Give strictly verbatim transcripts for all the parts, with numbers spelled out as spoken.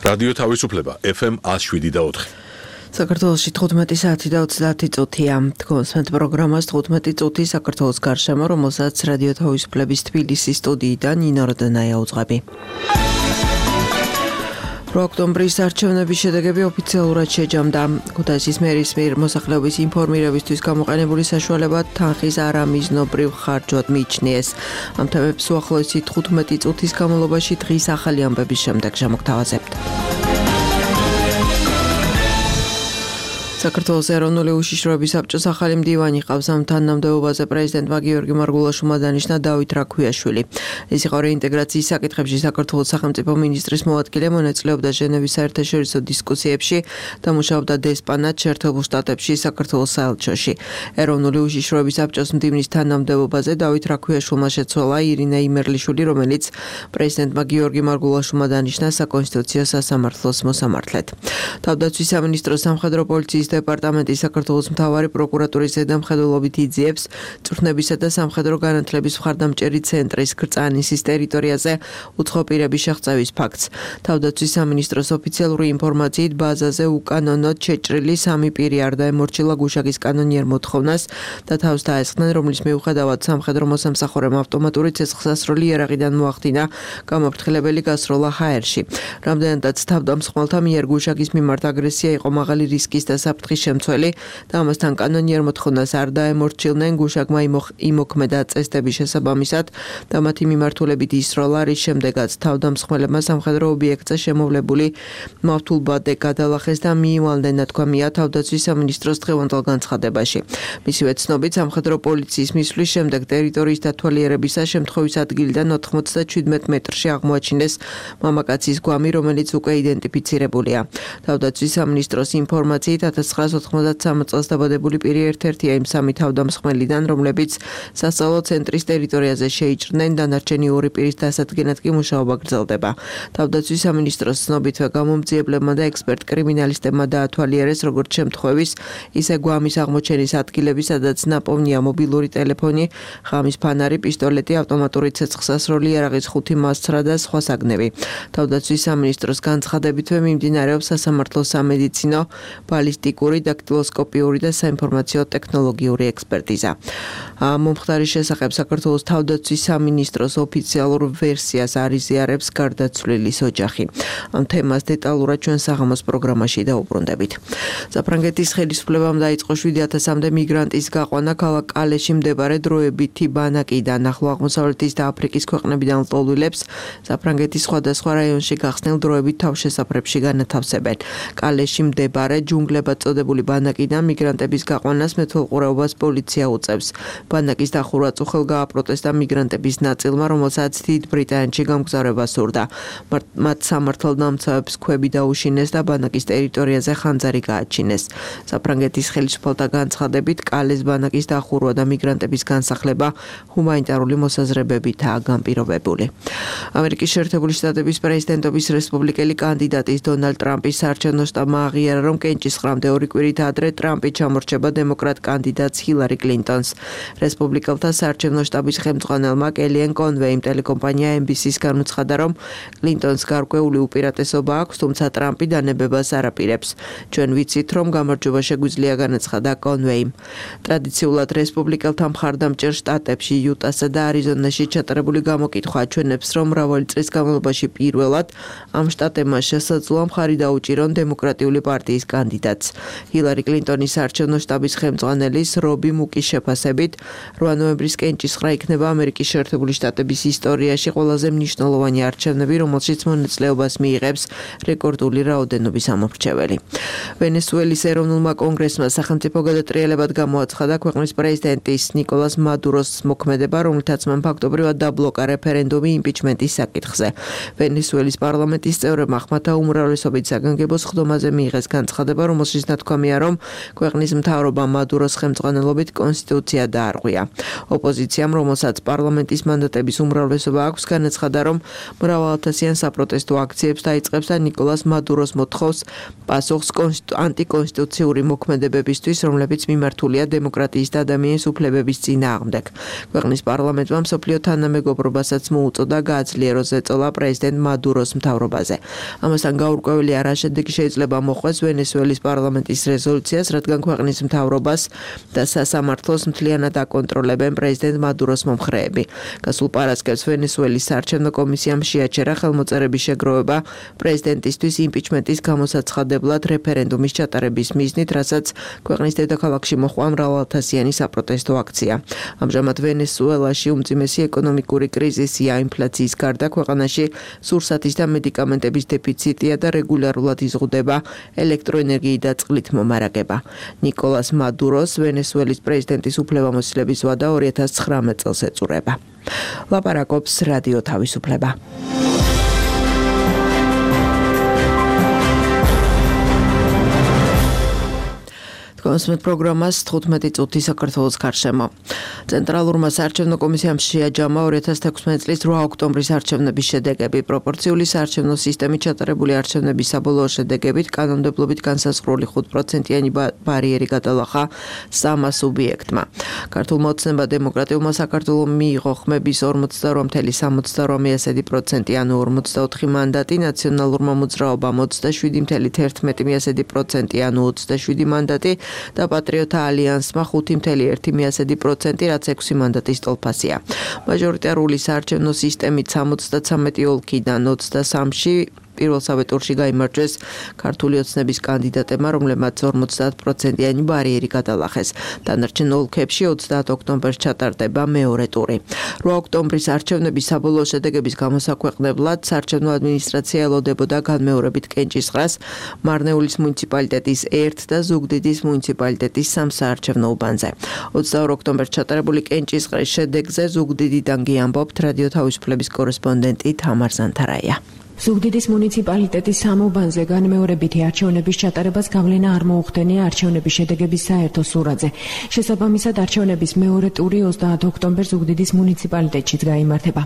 რადიო თავისუფლება ეფ ემ ათს შვიდი და ოთხი. საქართველოში თხუთმეტი საათი და ოცდაათი წუთია. თქვენს პროგრამას თხუთმეტი წუთი საქართველოს გარშემო, რომელსაც რადიო თავისუფლების თბილისის სტუდიიდან ნინო როდანაია უძღვები. ოქტომბრის არჩევნების შედეგები ოფიციალურად შეჯამდა. ქუთაისის მერის მიერ მოსახლეობის ინფორმირებისთვის გამოყენებული საშუალება თანხის არამიზნობრივ ხარჯვად მიიჩნიეს. ამ თემებს უახლოესი თხუთმეტი წუთის განმავლობაში დღის ახალი ამბების შემდეგ შემოგთავაზებთ. საქართველოს ეროვნული უშიშროების საბჭოს ახალი მდივანი ყავს. ამ თანამდებობაზე პრეზიდენტმა გიორგი მარგულაშვილმა დანიშნა დავით რაქვიაშვილი. ის იყო რეინტეგრაციის საკითხებში საქართველოს სახელმწიფო მინისტრის მოადგილე, მონაწილეობდა ჟენევის საერთაშორისო დისკუსიებში და მუშაობდა დესპანად შეერთებულ შტატებში საქართველოს საელჩოში. ეროვნული უშიშროების საბჭოს მდივნის თანამდებობაზე დავით რაქვიაშვილმა შეცვალა ირინა იმერლიშვილი, რომელიც პრეზიდენტმა გიორგი მარგულაშვილმა დანიშნა საკონსტიტუციო სასამართლოს მოსამართლედ. თავდაცვის სამინისტროს სამხედრო პოლიციის დეპარტამენტის საქართველოს მთავარი პროკურატურის ზედამხედველობით იძიებს წვრთნებისა და სამხედრო განათლების მხარდამჭერი ცენტრის გრწანისის ტერიტორიაზე უცხო პირების შეღწევის ფაქტს. თავდაცვის სამინისტროს ოფიციალური ინფორმაციით ბაზაზე უკანონოდ შეჭრილი სამი პირი არ დაემორჩილა გუშაგის კანონიერ მოთხოვნას და თავს დაესხნენ, რომლის მიუხედავად სამხედრო მოსამსახურემ ავტომატური ცეცხლსასროლი იარაღიდან მოახდინა გამაფრთხილებელი გასროლა ჰაერში. რამდენადაც თავდამსხმელთა მიერ გუშაგის მიმართ აგრესია იყო მაღალი რისკის და საფრთხის შემცველი და ამასთან კანონიერ მოთხოვნას არ დაემორჩილნენ, გუშაგმა იმოქმედა წესდების შესაბამისად და მათი მიმართულებით ისროლა, რის შემდეგაც თავდამსხმელებმა სამხედრო ობიექტზე შემოვლებული მავთულბადე გადალახეს და მიივალნენ, ნათქვამია თავდაცვის სამინისტროს დღევანდელ განცხადებაში. მისივე ცნობით, სამხედრო პოლიციის მისვლის შემდეგ ტერიტორიის დათვალიერებისა შემთხვევის ადგილიდან ოთხმოცდაჩვიდმეტ მეტრში აღმოაჩინეს მამაკაცის გვამი, რომელიც უკვე იდენტიფიცირებულია. თავდაცვის სამინისტროს ინფორმაციით ათას ცხრაასოთხმოცდასამი წელს დაბადებული პირი ერთ-ერთია იმ სამი თავდამსხმელიდან, რომლებიც სასწავლო ცენტრის ტერიტორიაზე შეიჭრნენ, დანარჩენი ორი პირის დასადგენად კი მუშაობა გრძელდება. თავდაცვის სამინისტროს ცნობითვე გამომძიებლებმა და ექსპერტ კრიმინალისტებმა დაათვალიერეს როგორც შემთხვევის, ისე გვამის აღმოჩენის ადგილები, სადაც ნაპოვნია მობილური ტელეფონი, ღამის ფანარი, პისტოლეტი, ავტომატური ცეცხლსასროლი, იარაღის ხუთი მასცრა და სხვა საგნები. თავდაცვის სამინისტროს განცხადებითვე მიმდინარეობს სასამართლო სამედიცინო, ბალისტიკური, დაქტილოსკოპიური და საინფორმაციო ტექნოლოგიური ექსპერტიზა. მომხდარის შესახებ საქართველოს თავდაცვის სამინისტროს ოფიციალურ ვერსიას არ იზიარებს გარდაცვლილის ოჯახი. ამ თემას დეტალურად ჩვენ საღამოს პროგრამაში დაუბრუნდებით. საფრანგეთის ხელისუფლებამ დაიწყო შვიდი ათასამდე მიგრანტის გაყვანა ქალაქ კალეში მდებარე დროებითი ბანაკიდან. ახლო აღმოსავლეთის და აფრიკის ქვეყნებიდან ლტოლვილებს საფრანგეთის სხვადასხვა რაიონში გახსნილ დროებით თავშესაფრებში განათავსებენ. კალეში მდებარე ჯუნგლებად წოდებული ბანაკიდან მიგრანტების გაყვანას მეთვალყურეობას პოლიცია უწევს. ბანაკის დახურვა წუხელ გააპროტესტა მიგრანტების ნაწილმა, რომელსაც დიდ ბრიტანეთში გამგზავრება სურდა. მათ სამართალდამცავებს ქვები დაუშინეს და ბანაკის ტერიტორიაზე ხანძარი გააჩინეს. საფრანგეთის ხელისუფალთა განცხადებით, კალეს ბანაკის დახურვა და მიგრანტების განსახლება ჰუმანიტარული მოსაზრებებითაა განპირობებული. ამერიკის შეერთებული შტატების პრეზიდენტობის რესპუბლიკელი კანდიდატის დონალდ ტრამპის საარჩევნო შტაბმა აღიარა, რომ კენჭისყრამდე ორი კვირით ადრე ტრამპი ჩამორჩება დემოკრატ კანდიდატს ჰილარი კლინტონს. რესპუბლიკელთა საარჩევნო შტაბის ხელმძღვანელმა კელიან კონვეიმ ტელეკომპანია ემ ბი სი-ს განუცხადა, რომ კლინტონს გარკვეული უპირატესობა აქვს, თუმცა ტრამპი დანებებას არ აპირებს. ჩვენ ვიცით, რომ გამარჯვება შეგვიძლია, განაცხადა კონვეიმ. ტრადიციულად რესპუბლიკელთა მხარდამჭერ შტატებში, იუტასა და არიზონაში ჩატარებული გამოკითხვა ჩვენებს, რომ მრავალი წლის განმავლობაში პირველად ამ შტატებმა შესაძლოა მხარი დაუჭირონ დემოკრატიული პარტიის კანდიდატს. ჰილარი კლინტონის საარჩევნო შტაბის ხელმძღვანელის რობი მუკის შეფასებით, რვა ნოემბრის კენჭისყრა იქნება ამერიკის შეერთებული შტატების ისტორიაში ყველაზე მნიშვნელოვანი არჩევნები, რომელშიც მონაწილეობას მიიღებს რეკორდული რაოდენობის ამომრჩეველი. ვენესუელის ეროვნულმა კონგრესმა სახელმწიფო გადატრიალებად გამოაცხადა ქვეყნის პრეზიდენტის ნიკოლას მადუროს მოქმედება, რომლითაც მან ფაქტობრივად დაბლოკა რეფერენდუმი იმპიჩმენტის საკითხზე. ვენესუელის პარლამენტის წევრებმა ხმათა უმრავლესობით საგანგებო სხდომაზე მიიღეს განცხადება, რომელშიც ნათქვამია, რომ ქვეყნის მთავრობა მადუროს ხელმძღვანელობით კონსტიტუცია დაარღვია. ოპოზიციამ, რომელსაც პარლამენტის მანდატების უმრავლესობა აქვს, განაცხადა, რომ მრავალათასიან საპროტესტო აქციებს დაიწყებს და ნიკოლას მადუროს მოთხოვს პასუხს ანტიკონსტიტუციური მოქმედებებისთვის, რომლებიც მიმართულია დემოკრატიის და ადამიანის უფლებების წინააღმდეგ. ქვეყნის პარლამენტმა მსოფლიო თანამეგობრობასაც მოუწოდა გააძლიეროს ზეწოლა პრეზიდენტ მადუროს მთავრობაზე. ამასთან გაურკვეველი არა შედეგი შეიძლება მოხვდეს ვენესუელის პარლამენტის რეზოლუციას, რადგან ქვეყნის მთავრობას და სასამართლოს მთლიანად აკონტროლებენ პრეზიდენტ მადუროს მომხრეები. გასულ პარასკევს ვენესუელის საარჩევნო კომისიამ შეაჩერა ხელმოწერების შეგროვება პრეზიდენტისთვის იმპიჩმენტის გამოსაცხადებლად რეფერენდუმის ჩატარების მიზნით, რასაც ქვეყნის დედაქალაქში მოჰყვა მრავალათასიანი საპროტესტო აქცია. ამჟამად ვენესუელაში უმძიმესი ეკონომიკური კრიზისია, ინფლაციის გარდა ქვეყანაში სურსათის და მედიკამენტების დეფიციტია და რეგულარულად იზღუდება ელექტროენერგიით და წყლით მომარაგება. ნიკოლას მადუროს ვენესუელის პრეზიდენტის უფლებამოსილების ვადა ორი ათას ცხრამეტ წელს ეწურება. ლაპარაკობს რადიო თავისუფლება. კონსმეთ პროგრამას თხუთმეტი წუთი საქართველოს გარშემო. ცენტრალურმა საარჩევნო კომისიამ შეაჯამა ორი ათას თექვსმეტი წლის რვა ოქტომბრის არჩევნების შედეგები. პროპორციული საარჩევნო სისტემით ჩატარებული არჩევნების საბოლოო შედეგებით კანონმდებლობით განსაზღვრული ხუთ პროცენტიანი ბარიერი გადალახა სამმა სუბიექტმა. ქართულმა ოცნება დემოკრატიულმა საქართველომ მიიღო ხმების ორმოცდაორ წელი სამოცდაორი პროცენტი, ანუ ორმოცდაოთხი მანდატი, ნაციონალურმა მოძრაობამ ოცდაშვიდი წელი ერთმეტი პროცენტი, ანუ ოცდაშვიდი მანდატი და პატრიოტთა ალიანსმა ხუთი წელი ერთი პროცენტი, რაც ექვსი მანდატის ტოლფასია. მაჟორიტარული საარჩევნო სისტემით სამოცდათვრამეტი ოლქიდან ოცდასამში პირველსავე ტურში გაიმარჯვეს ქართული ოცნების კანდიდატებმა, რომლებმაც ორმოცდაათ პროცენტიანი ბარიერი გადალახეს. დანარჩენ ოლქებში ოცდაათ ოქტომბერს ჩატარდება მეორე ტური. რვა ოქტომბრის არჩევნების საბოლოო შედეგების გამოსაქვეყნებლად საარჩევნო ადმინისტრაცია ელოდებოდა განმეორებით კენჭისყრას, მარნეულის მუნიციპალიტეტის ერთ და ზუგდიდის მუნიციპალიტეტის სამ საარჩევნო უბანზე. ოცდაორ ოქტომბერს ჩატარებული კენჭისყრის შედეგზე ზუგდიდიდან გიამბობთ რადიო თავისუფლების კორესპონდენტი თამარ ზანთარაია. ზუგდიდის მუნიციპალიტეტის სამ უბანზე განმეორებითი არჩევნების ჩატარებას გავლენა არ მოუხდენია არჩევნების შედეგების საერთო სურათზე. შესაბამისად, არჩევნების მეორე ტური ოცდაათ ოქტომბერს ზუგდიდის მუნიციპალიტეტშიც გაიმართება.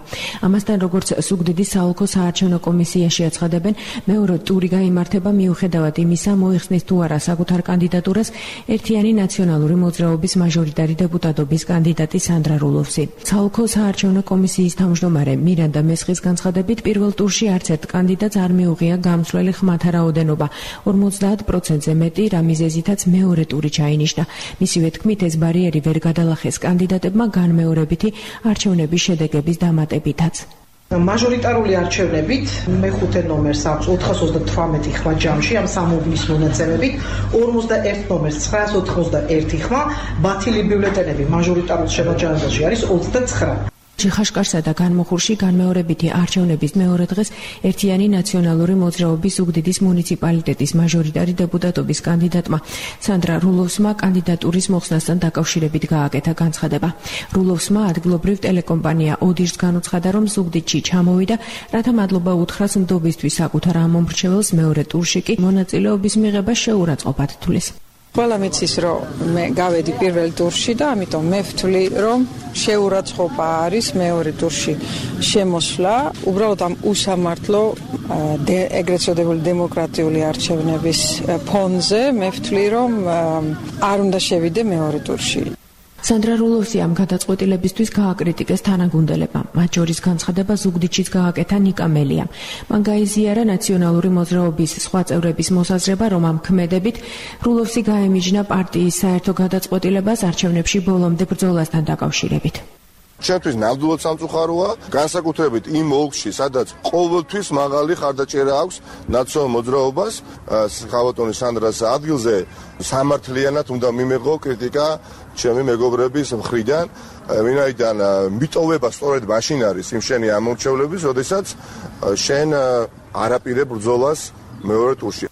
ამასთან, როგორც ზუგდიდის საოლქო საარჩევნო კომისიაში აცხადებენ, მეორე ტური გაიმართება მიუხედავად იმისა, მოიხსნის თუ არა საკუთარ კანდიდატურას ერთიანი ნაციონალური მოძრაობის მაჟორიტარი დეპუტატობის კანდიდატი სანდრა რულოვსი. საოლქო საარჩევნო კომისიის თავმჯდომარე მირანდა მესხის განცხადებით, პირველ ტურში არც ერთ კანდიდატს არ მიუღია გამცვლელი ხმათა რაოდენობა ორმოცდაათ პროცენტზე მეტი, რა მიზეზითაც მეორე ტური ჩაინიშნა. მისივე თქმით, ეს ბარიერი ვერ გადალახეს კანდიდატებმა განმეორებითი არჩევნების შედეგების დამატებითაც. მაჟორიტარული არჩევნებით მეხუთე ნომერს აქვს ოთხას ოცდათვრამეტი ხმა ჯამში ამ სამ უბნის მონაცემებით, ორმოცდაერთ ნომერს ცხრაას ოცდაერთი ხმა, ბათილი ბიულეტენები მაჟორიტარულ შემაჯამებაში არის ოცდაცხრა. ჩიხაშკარსა და განმოხურში განმეორებითი არჩევნების მეორე დღეს ერთიანი ნაციონალური მოძრაობის ზუგდიდის მუნიციპალიტეტის მაჟორიტარი დეპუტატობის კანდიდატმა სანდრა რულოვსმა კანდიდატურის მოხსნასთან დაკავშირებით გააკეთა განცხადება. რულოვსმა ადგილობრივ ტელეკომპანია ოდირს განუცხადა, რომ ზუგდიდში ჩამოვიდა, რათა მადლობა უთხრას ნდობისთვის საკუთარ ამომრჩეველს, მეორე ტურში კი მონაწილეობის მიღება შეურაცხყოფად თulis. ყველა მიცის, რომ მე გავედი პირველ ტურში და ამიტომ მე ვთვლი, რომ შეურაცხყოფა არის მეორე ტურში შემოსვლა. უბრალოდ ამ უსამართლო ეგრეთ წოდებული დემოკრატიული არჩევნების ფონზე მე ვთვლი, რომ არ უნდა შევიდე მეორე ტურში. სანდრა რულოვსი ამ გადაწყვეტილებისთვის გააკრიტიკეს თანაგუნდელება. მათ შორის განცხადება ზუგდიდშიც გააკეთა ნიკა მელიამ. მან გაიზიარა ნაციონალური მოძრაობის სხვა წევრების მოსაზრება, რომ ამ ქმედებით რულოვსი გაემიჯნა პარტიის საერთო გადაწყვეტილებას არჩევნებში ბოლომდე ბრძოლასთან დაკავშირებით. ჩვენთვის ნამდვილად სამწუხაროა, განსაკუთრებით იმ ოლქში, სადაც ყოველთვის მაღალი ხარდაჭერა აქვს ნაციონალურ მოძრაობას, ხავატონის სანდრას ადგილზე სამართლიანად უნდა მიმეღო კრიტიკა ჩემი მეგობრების მხრიდან, ვინაიდან მიტოვება სწორედ მაშინ არის იმ შენი ამორჩევლების, როდესაც შენ არაპირებ ბრძოლას მეორე ტურში.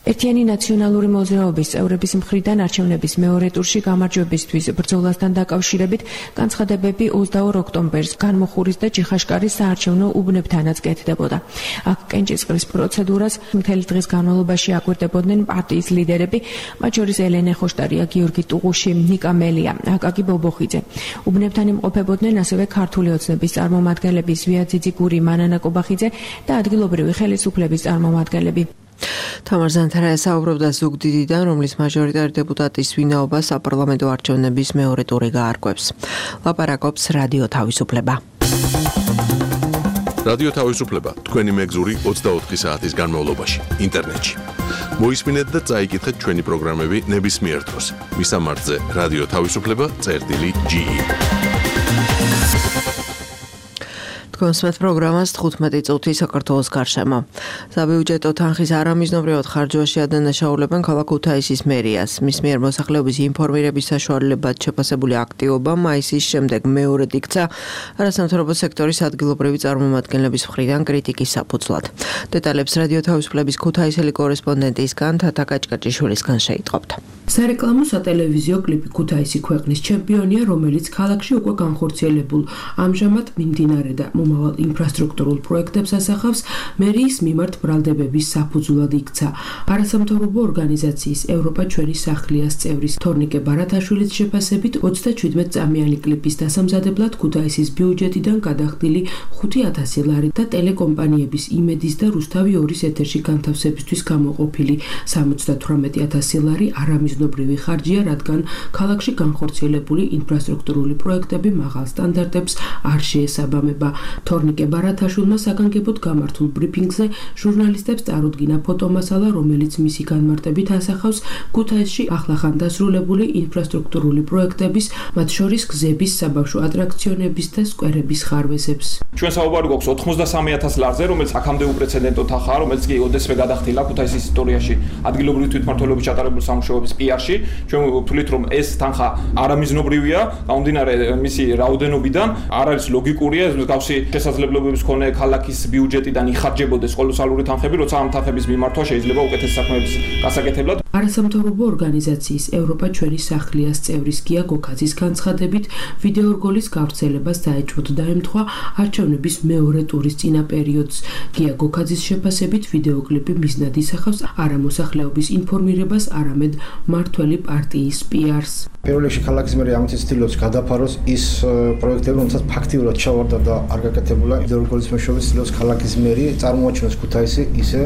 ერთიანი ნაციონალური მოძრაობის წევრების მხრიდან არჩევნების მეორე ტურში გამარჯვებისთვის ბრძოლასთან დაკავშირებით განცხადებები ოცდაორ ოქტომბერს განმოხურის და ჯიხაშკარის საარჩევნო უბნებთანაც კეთდებოდა. აქ კენჭისყრის პროცედურას მთელი დღის განმავლობაში აკვირდებოდნენ პარტიის ლიდერები, მათ შორის ელენე ხოშტარია, გიორგი ტუღუში, ნიკა მელია, აკაკი ბობოხიძე. უბნებთან იმყოფებოდნენ ასევე ქართული ოცნების წარმომადგენლები ზვია ძიძიგური, მანანა კობახიძე და ადგილობრივი ხელისუფლების წარმომადგენლები. თამარ ზანთარა საუბრობდა ზუგდიდიდან, რომლის მაჟორიტარი დეპუტატის ვინაობა საპარლამენტო არჩევნების მეორე ტური გაარკვევს. ლაპარაკობს რადიო თავისუფლება. რადიო თავისუფლება თქვენი მეგზური ოცდაოთხი საათის განმავლობაში ინტერნეტში. მოისმინეთ და წაიკითხეთ ჩვენი პროგრამები ნებისმიერ დროს. მისამართზე რადიო თავისუფლება წერტილი ჯი ი. კონსმეთ პროგრამას თხუთმეტი წუთი საქართველოს გარშემო. საბიუჯეტო თანხის არამიზნობრივად ხარჯვაში ადანაშაულებენ ქალაქ ქუთაისის მერიას. მის მიერ მოსახლეობის ინფორმირების საშუალებად შეფასებული აქტივობა მაისის შემდეგ მეორედ იქცა არასამთავრობო სექტორის ადგილობრივი წარმომადგენლების მხრიდან კრიტიკის საფუძვლად. დეტალებს რადიო თავისუფლების ქუთაისელი კორესპონდენტისგან თათა კაჭკაჭიშვილისგან შეიტყობთ. სარეკლამო სატელევიზიო კლიპი ქუთაისი ქვეყნის ჩემპიონია, რომელიც ქალაქში უკვე განხორციელებულ ამჟამად მიმდინარე და მომავალ ინფრასტრუქტურულ პროექტებს ასახავს, მერიის მიმართ ბრალდებების საფუძვლად იქცა. არასამთავრობო ორგანიზაციის ევროპა ჩვენი სახლიას წევრის თორნიკე ბარათაშვილის შეფასებით ოცდაჩვიდმეტ წამიანი კლიპის დასამზადებლად ქუთაისის ბიუჯეტიდან გადახდილი ხუთი ათასი ლარი და ტელეკომპანიების იმედის და რუსთავი ორის ეთერში განთავსებისთვის გამოყოფილი სამოცდათვრამეტი ათასი ლარი არამიზნობრივი ხარჯია, რადგან ქალაქში განხორციელებული ინფრასტრუქტურული პროექტები მაღალ სტანდარტებს არ შეესაბამება. თორნიკე ბარათაშვილმა საგანგებოდ გამართულ ბრიფინგზე ჟურნალისტებს წარუდგინა ფოტომასალა, რომელიც მისი განმარტებით ასახავს ქუთაისში ახლახან დასრულებული ინფრასტრუქტურული პროექტების, მათ შორის გზების, საბავშვო ატრაქციონების და სკვერების ხარვეზებს. ჩვენ საუბარი გვაქვს ოთხმოცდასამი ათას ლარზე, რომელიც აქამდე უპრეცედენტო თანხაა, რომელიც კი ოდესმე გადახდილა ქუთაისის ისტორიაში ადგილობრივი თვითმმართველობის ჩატარებული სამუშაოების პი არში. ჩვენ ვთვლით, რომ ეს თანხა არამიზნობრივია, გამომდინარე მისი რაოდენობიდან, არ არის ლოგიკურია, მსგავსი შესაძლებლობების მქონე ქალაქის ბიუჯეტიდან იხარჯებოდეს კოლოსალური თანხები, როცა ამ თანხების მიმართვა შეიძლება უკეთეს საქმეების გასაკეთებლად. არასამთავრობო ორგანიზაციის ევროპა ჩვენი სახლიას წევრის გია გოქაძის განცხადებით, ვიდეო რგოლის გავრცელება საეჭვოდ დაემთხვა არჩევნების მეორე ტურის წინა პერიოდს. გია გოქაძის შეფასებით, ვიდეოკლიპი მიზნად ისახავს არა მოსახლეობის ინფორმირებას, არამედ მართველი პარტიის პი არს. პირველ რიგში ქალაქის მერი ამით ცდილობს გადაფაროს ის პროექტები, რომელსაც ფაქტიურად ჩავარდა და არ გაკეთებულა. ვიდეო რგოლის მეშვეობით ცდილობს ქალაქის მერი წარმოაჩინოს ქუთაისი ისე,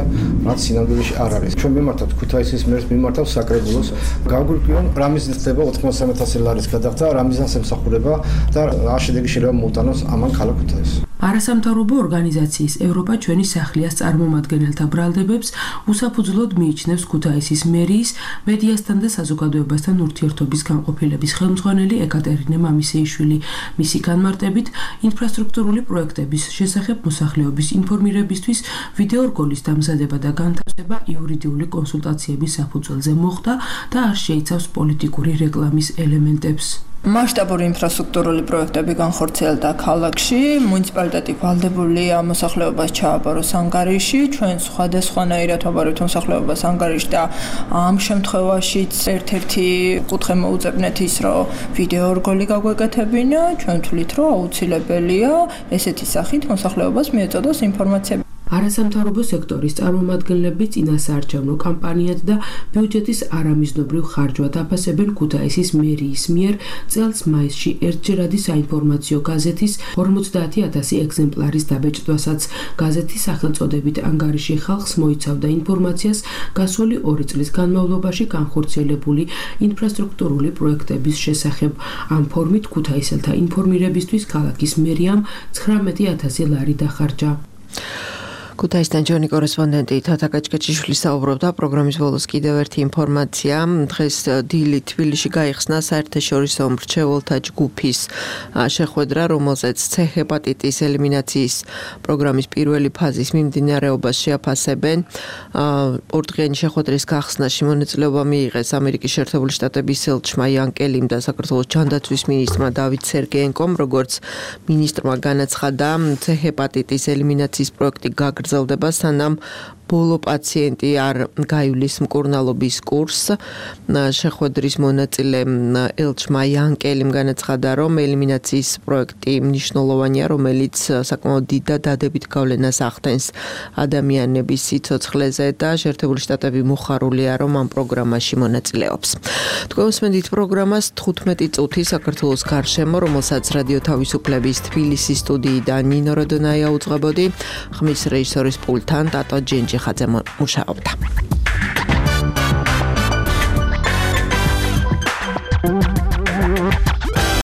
რაც სინამდვილეში არ არის. ჩვენ მიმართავთ ქუთაისის მერს, მიმართავთ საკრებულოს. გაგვირკვიონ, რა მიზნით ხდება ოთხმოცდასამი ათასი ლარის გადახდა, რა მიზანს ემსახურება და რა შედეგი შეიძლება მოუტანოს ამან ქალაქ ქუთაისს. არასამთავრობო ორგანიზაციის ევროპა ჩვენი სახლიას წარმომადგენელთა ბრალდებებს უსაფუძვლოდ მიიჩნევს ქუთაისის მერიის მედიასთან და საზოგადოებასთან ურთიერთობის განყოფილების ხელმძღვანელი ეკატერინე მამისეიშვილი. მისი განმარტებით, ინფრასტრუქტურული პროექტების შესახებ მოსახლეობის ინფორმირებისთვის ვიდეო რგოლის დამზადება და განთავსება იურიდიული კონსულტაციების საფუძველზე მოხდა და არ შეიცავს პოლიტიკური რეკლამის ელემენტებს. მასშტაბური ინფრასტრუქტურული პროექტები განხორციელდა ქალაქში, მუნიციპალიტეტი ვალდებულია მოსახლეობას ჩააბაროს ანგარიში, ჩვენ სხვადასხვანაირად ვაბარებთ მოსახლეობას ანგარიში და ამ შემთხვევაშიც ერთ-ერთი კუთხე მოუწებნეთ ის, რომ ვიდეო რგოლი გაგვეკეთებინა, ჩვენ ვთვლით, რომ აუცილებელია ესეთი სახით მოსახლეობას მიეწოდოს ინფორმაცია. არასამთავრობო სექტორის წარმომადგენლები წინასაარჩევნო კამპანიად და ბიუჯეტის არამიზნობრივ ხარჯვად აფასებენ ქუთაისის მერიის მიერ წელს მაისში ერთჯერადი საინფორმაციო გაზეთის ორმოცდაათი ათასი ეგზემპლარის დაბეჭდვასაც. გაზეთის სახელწოდებით ანგარიში ხალხს მოიცავდა ინფორმაციას გასული ორი წლის განმავლობაში განხორციელებული ინფრასტრუქტურული პროექტების შესახებ. ამ ფორმით ქუთაისელთა ინფორმირებისთვის ქალაქის მერიამ ცხრამეტი ათასი ლარი დახარჯა. ქუთაისთან ჩვენი კორესპონდენტი თათა კაჭკაჭიშვილი საუბრობდა. პროგრამის ბოლოს კიდევ ერთი ინფორმაცია. დღეს დილით თბილისში გაიხსნა საერთაშორისო მრჩეველთა ჯგუფის შეხვედრა, რომელზეც C ჰეპატიტის ელიმინაციის პროგრამის პირველი ფაზის მიმდინარეობას შეაფასებენ. ორდღიანი შეხვედრის გახსნაში მონაწილეობა მიიღეს ამერიკის შეერთებული შტატების ელჩმა იან კელიმ და საქართველოს ჯანდაცვის მინისტრმა დავით სერგეენკომ. როგორც მინისტრმა განაცხადა, C ჰეპატიტის ელიმინაციის პროექტი გაგრძელდება, სანამ ბოლო პაციენტი არ გაივლის მკურნალობის კურსს. შეხვედრის მონაწილე ელჩმა იანკელიმ განაცხადა, რომ ელიმინაციის პროექტი მნიშვნელოვანია, რომელიც საკმაოდ დიდ და დადებით გავლენას ახდენს ადამიანების სიცოცხლეზე და შეერთებული შტატები მოხარულია, რომ ამ პროგრამაში მონაწილეობს. თქვენ უსმენთ პროგრამას თხუთმეტი წუთი საქართველოს გარშემო, რომელსაც რადიო თავისუფლების თბილისის სტუდიიდან ნინო როდონაია უძღვებოდი, ხმის რეჟისორის პულტთან ტატო ჯენჯიხაძე მუშაობდა.